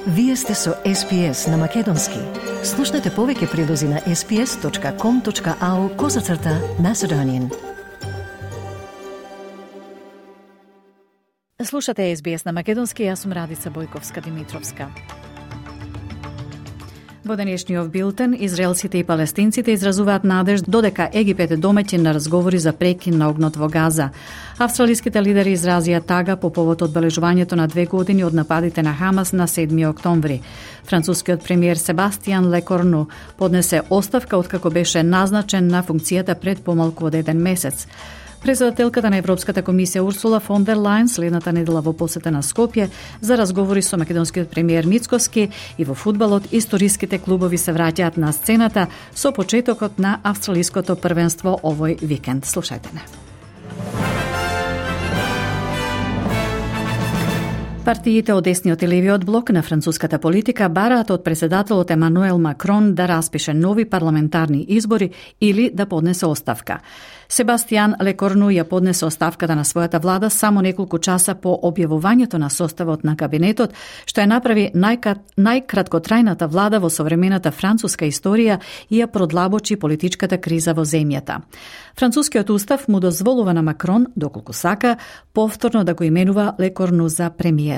Вие сте со SPS на Македонски. Слушнете повеќе прилози на sps.com.au/Macedonian. Слушате SBS на Македонски, јас сум Радица Бојковска-Димитровска. Во денешниот билтен, израелците и палестинците изразуваат надеж додека Египет е домаќин на разговори за прекин на огнот во Газа. Австралиските лидери изразија тага по повод одбележувањето на 2 години од нападите на Хамас на 7 октомври. Францускиот премиер Себастијан Лекорну поднесе оставка откако беше назначен на функцијата пред помалку од 1 месец. Председателката на Европската комисија Урсула фон дер Лајен следната недела во посета на Скопје за разговори со македонскиот премиер Мицкоски и во фудбалот историските клубови се враќаат на сцената со почетокот на австралиското првенство овој викенд. Слушајте не. Партиите од десниот и левиот блок на француската политика бараат од председателот Емануел Макрон да распише нови парламентарни избори или да поднесе оставка. Себастијан Лекорну ја поднесе оставката на својата влада само неколку часа по објавувањето на составот на кабинетот, што ја направи најкраткотрајната влада во современата француска историја и ја продлабочи политичката криза во земјата. Францускиот устав му дозволува на Макрон, доколку сака, повторно да го именува Лекорну за премиер.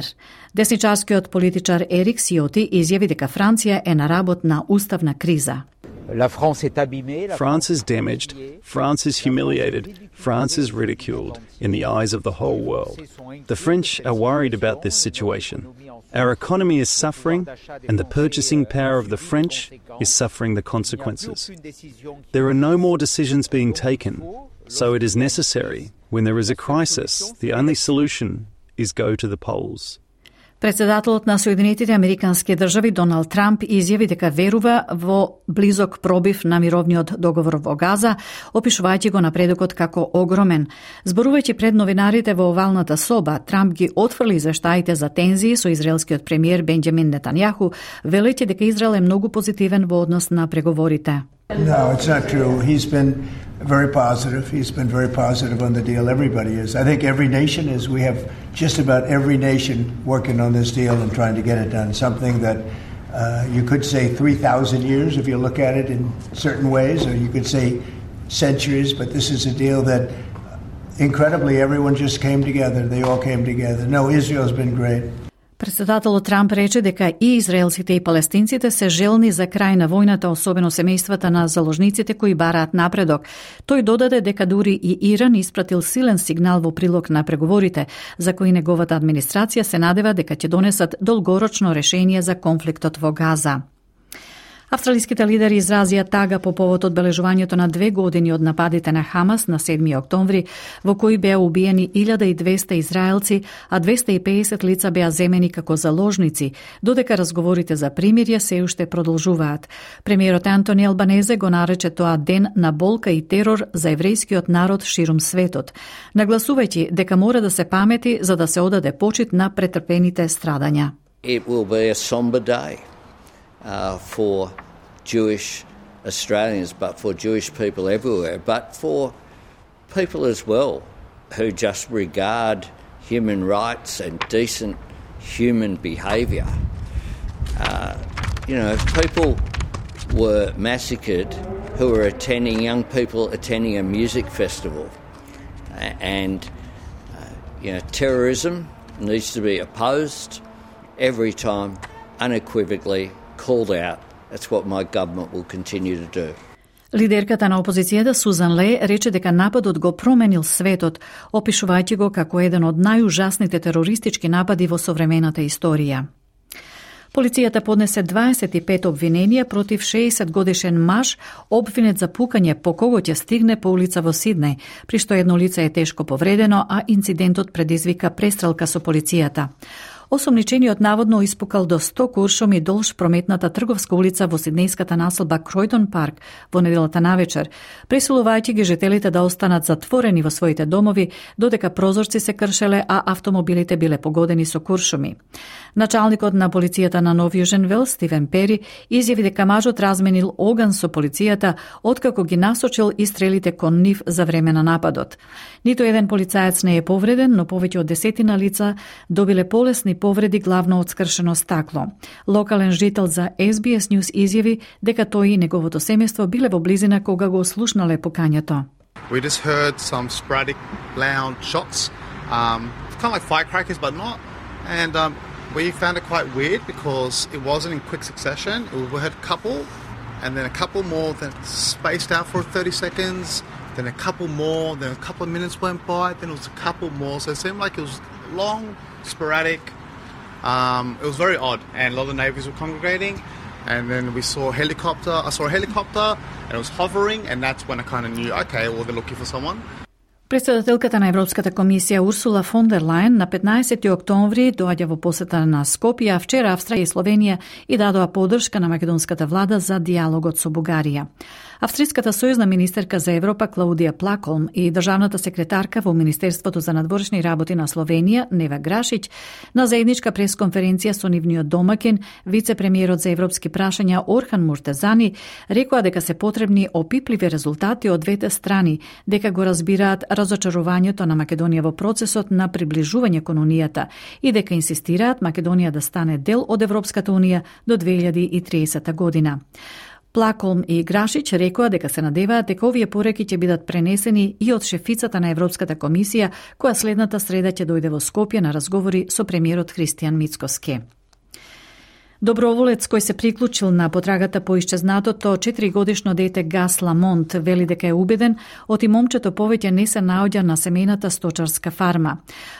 Десничарскиот политичар Ерик Сиоти изјави дека Франција е на работ на уставна криза. France is damaged, France is humiliated, France is ridiculed in the eyes of the whole world. The French are worried about this situation. Our economy is suffering and the purchasing power of the French is suffering the consequences. There are no more decisions being taken, so it is necessary, when there is a crisis, the only solution is go to the polls. Председателот на Соединетите Американски држави Доналд Трамп изјави дека верува во близок пробив на мировниот договор во Газа, опишувајќи го напредокот како огромен. Зборувајќи пред новинарите во овалната соба, Трамп ги отфрли извештаите за тензии со израелскиот премиер Бенџамин Нетањаху, велејќи дека Израел е многу позитивен во однос на преговорите. No, it's not true. He's been very positive. He's been very positive on the deal. Everybody is. I think every nation is. We have just about every nation working on this deal and trying to get it done. Something that you could say 3,000 years if you look at it in certain ways, or you could say centuries, but this is a deal that incredibly everyone just came together. They all came together. No, Israel's been great. Председателот Трамп рече дека и израелците и палестинците се желни за крај на војната, особено семејствата на заложниците кои бараат напредок. Тој додаде дека дури и Иран испратил силен сигнал во прилог на преговорите, за кои неговата администрација се надева дека ќе донесат долгорочно решение за конфликтот во Газа. Австралиските лидери изразија тага по повод одбележувањето на 2 години од нападите на Хамас на 7 октомври, во кои беа убиени 1200 израелци, а 250 лица беа земени како заложници, додека разговорите за примирје се уште продолжуваат. Премиерот Антони Албанезе го нарече тоа ден на болка и терор за еврејскиот народ ширум светот, нагласувајќи дека мора да се памети за да се одаде почит на претрпените страдања. It will be a somber day for Jewish Australians, but for Jewish people everywhere, but for people as well who just regard human rights and decent human behaviour. If people were massacred who were young people attending a music festival, and terrorism needs to be opposed every time, unequivocally called out. That's what my government will continue to do. Лидерката на опозицијата Сузан Ле рече дека нападот го променил светот, опишувајќи го како еден од најужасните терористички напади во современата историја. Полицијата поднесе 25 обвиненија против 60-годишен маж, обвинет за пукање по кого ќе стигне по улица во Сиднеј, при што едно лице е тешко повредено, а инцидентот предизвика престрелка со полицијата. Осомничениот наводно испукал до 100 куршуми долж прометната трговска улица во сиднејската населба Кројтон парк во неделата навечер, пресилувајќи ги жителите да останат затворени во своите домови, додека прозорци се кршеле, а автомобилите биле погодени со куршуми. Началникот на полицијата на Нов Јужен Велс, Стивен Пери, изјави дека мажот разменил оган со полицијата откако ги насочил и стрелите кон нив за време на нападот. Ниту еден полицаец не е повреден, но повеќе од 10 лица добиле полесни телесни повреди, главно од скршено стакло. Локален жител за SBS News изјави дека тој и неговото семејство биле во близина кога го слушнале покањето. We just heard some sporadic loud shots, kind of like firecrackers, but not. And we found it quite weird because it wasn't in quick succession. We heard a couple, and then a couple more that spaced out for 30 seconds, then a couple more, then a couple of minutes went by, then it was a couple more. So it seemed like it was long, sporadic. It was very odd, and a lot of the neighbours were congregating. And then I saw a helicopter, and it was hovering, and that's when I kind of knew, okay, well, they're looking for someone. Председателката на Европската комисија Урсула фон дер Лајен на 15 октомври доаѓа во посета на Скопје, а вчера Австрија и Словенија и дадоа поддршка на македонската влада за дијалогот со Бугарија. Австриската сојузна министерка за Европа Клаудија Плаколм и државната секретарка во Министерството за надворешни работи на Словенија Нева Грашиќ на заедничка пресконференција со нивниот домакин, вице-премиерот за европски прашања Орхан Муртезани, рекоа дека се потребни опипливи резултати од двете страни, дека го разбираат разочарувањето на Македонија во процесот на приближување кон Унијата и дека инсистираат Македонија да стане дел од Европската Унија до 2030 година. Плаколм и Грашиќ рекоа дека се надеваат дека овие пореки ќе бидат пренесени и од шефицата на Европската комисија, која следната среда ќе дојде во Скопје на разговори со премиерот Христијан Мицкоски. Доброволец кој се приклучил на потрагата по исчезнатото 4-годишно дете Гас Ламонт вели дека е убеден оти момчето повеќе не се наоѓа на семејната сточарска фарма.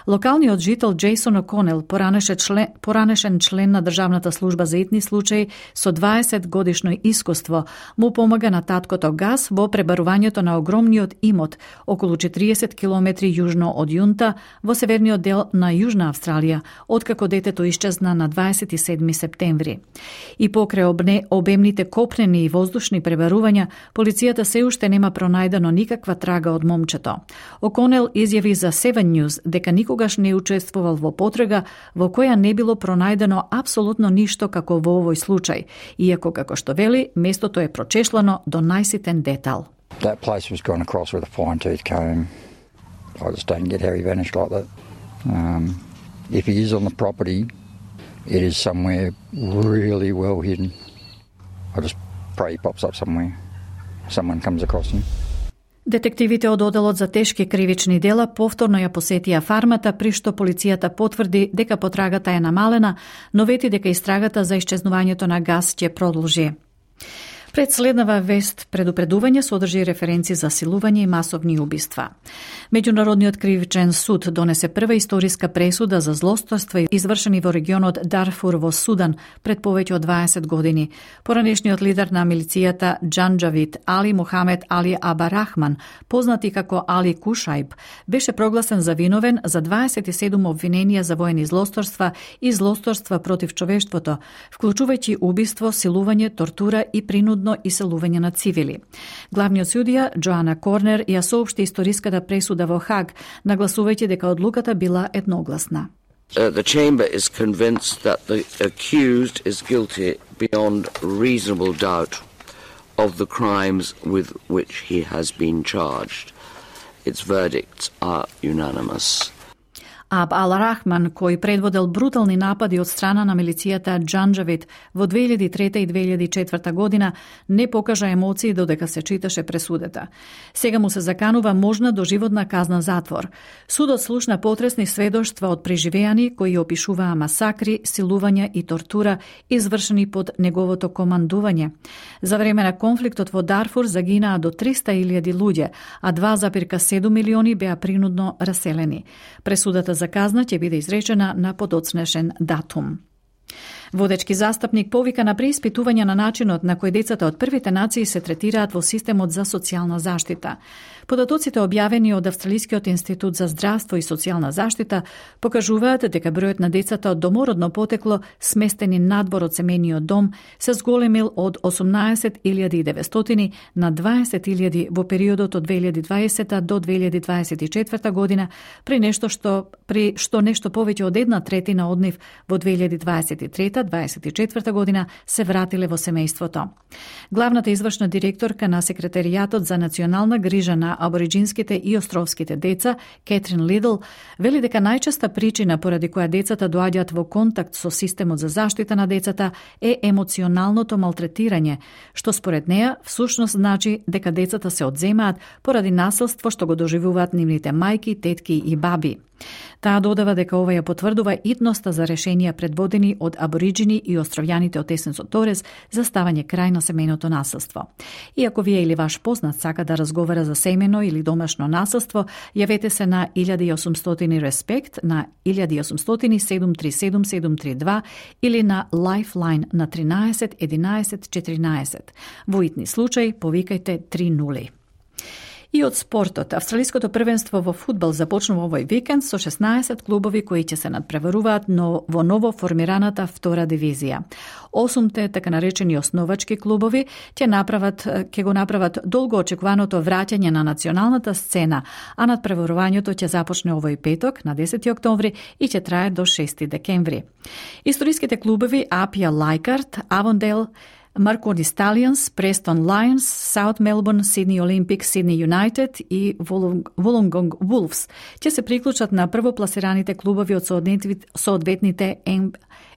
Локалниот жител Джейсон О'Конел, поранешен член на Државната служба за итни случаи со 20 годишно искуство, му помага на таткото Гас во пребарувањето на огромниот имот околу 40 километри јужно од Јунта во северниот дел на Јужна Австралија, откако детето исчезна на 27 септември. И покрај обемните копнени и воздушни пребарувања, полицијата се уште нема пронајдено никаква трага од момчето. О'Конел изјави за Seven News дека никогаш не учествувал во потрага во која не било пронајдено апсолутно ништо како во овој случај, иако како што вели, местото е прочешлано до најситен детал. That place was gone across with a fine-tooth comb. I just don't get how he vanished like that. If he is on the property, it is somewhere really well hidden. I just pray he pops up somewhere. Someone comes across him. Детективите од Оделот за тешки кривични дела повторно ја посетија фармата, при што полицијата потврди дека потрагата е намалена, но вети дека истрагата за исчезнувањето на Гас ќе продолжи. Пред следнава вест, предупредување содржи референци за силување и масовни убиства. Меѓународниот кривичен суд донесе прва историска пресуда за злосторства извршени во регионот Дарфур во Судан пред повеќе од 20 години. Поранешниот лидер на милицијата Џанџавид Али Мухамед Али Абарахман, познат и како Али Кушајб, беше прогласен за виновен за 27 обвиненија за воени злосторства и злосторства против човештвото, вклучувајќи убиство, силување, тортура и принудно иселување на цивили. Главниот судија Джоана Корнер ја соопшти историската пресуда во Хаг, нагласувајќи дека одлуката била едногласна. The chamber is convinced that the accused is guilty beyond reasonable doubt of the crimes with which he has been charged. Its verdicts are unanimous. Аб Ал-Рахман, кој предводел брутални напади од страна на милицијата Џанџавид во 2003 и 2004 година, не покажа емоции додека се читаше пресудата. Сега му се заканува можна доживотна казна затвор. Судот слушна потресни сведоштва од преживеани кои опишуваа масакри, силувања и тортура извршени под неговото командување. За време на конфликтот во Дарфур загинаа до 300.000 луѓе, а 2,7 милиони беа принудно раселени. Пресудата за казна ќе биде изречена на подоцнешен датум. Водечки застапник повика на преиспитување на начинот на кој децата од првите нации се третираат во системот за социјална заштита. Податоците објавени од Австралискиот институт за здравство и социјална заштита покажуваат дека бројот на децата од домородно потекло сместени надвор од семејниот дом се зголемил од 18.900 на 20.000 во периодот од 2020 до 2024 година, при што нешто повеќе од 1/3 од нив во 2023 23-24 година се вратиле во семејството. Главната извршна директорка на Секретаријатот за национална грижа на абориџинските и островските деца, Кетрин Лидл, вели дека најчеста причина поради која децата доаѓаат во контакт со системот за заштита на децата е емоционалното малтретирање, што според неа всушност значи дека децата се одземаат поради насилство што го доживуваат нивните мајки, тетки и баби. Таа додава дека ова ја потврдува итноста за решенија предводени од абориџини и островјаните од Есенсо Торес за ставање крај на семејното насилство. И ако вие или ваш познат сака да разговара за семејно или домашно насилство, јавете се на 1800 Респект на 1800 737 732 или на Lifeline на 13 11 14. Во итни случаи повикајте 30. И од спортот, австралиското првенство во фудбал започнува овој викенд со 16 клубови кои ќе се надпреваруваат во ново формираната втора дивизија. 8 така наречени основачки клубови ќе го направат долго очекуваното враќање на националната сцена, а надпреварувањето ќе започне овој петок на 10 октомври и ќе трае до 6 декември. Историските клубови Апија Лајкарт, Авондейл, Marconi Stallions, Preston Lions, South Melbourne, Sydney Olympic, Sydney United и Wollongong Wolves ќе се приклучат на првопласираните клубови од соодветните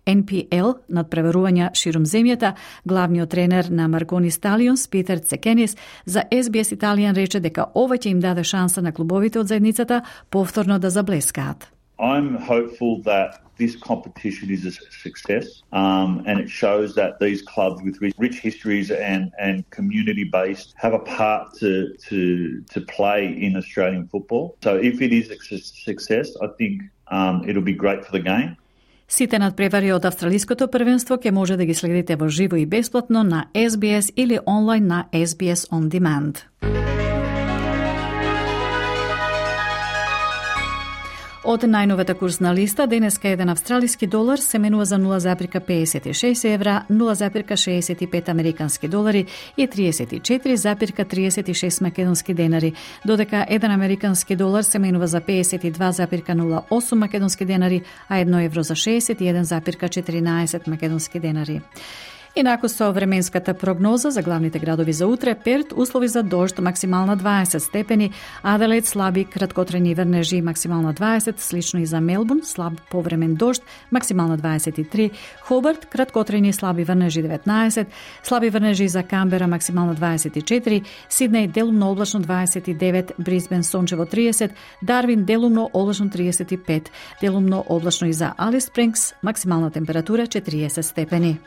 NPL надпреварувања ширум земјата. Главниот тренер на Marconi Stallions, Питер Цекенис, за SBS Италијан рече дека ова ќе им даде шанса на клубовите од заедницата повторно да заблескаат. I'm hopeful that this competition is a success, and it shows that these clubs with rich histories and community-based have a part to play in Australian football. So if it is a success, I think it'll be great for the game. Сите надпревари од австралиското првенство ќе може да ги следите во живо и бесплатно на SBS или онлайн на SBS On Demand. Од најновата курсна листа, денеска еден австралиски долар се менува за 0,56 евра, 0,65 американски долари и 34,36 македонски денари, додека еден американски долар се менува за 52,08 македонски денари, а 1 евро за 61,14 македонски денари. Инаку со временската прогноза за главните градови за утре: Перт услови за дожд, максимална 20 степени, Аделаид слаби краткотрajни врнежи, максимална 20, слично и за Мелбурн, слаб повремен дожд, максимална 23, Хобарт краткотрajни слаби врнежи 19, слаби врнежи за Камбера, максимална 24, Сиднеј делумно облачно 29, Брисбен сончево 30, Дарвин делумно облачно 35, делумно облачно и за Алис Спрингс, максимална температура 40 степени.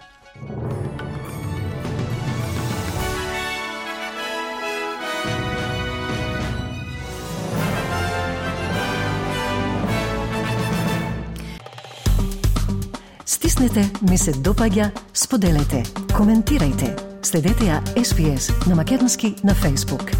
Стиснете, ми се допаѓа, споделете, коментирајте. Следете ја SBS на Македонски на Facebook.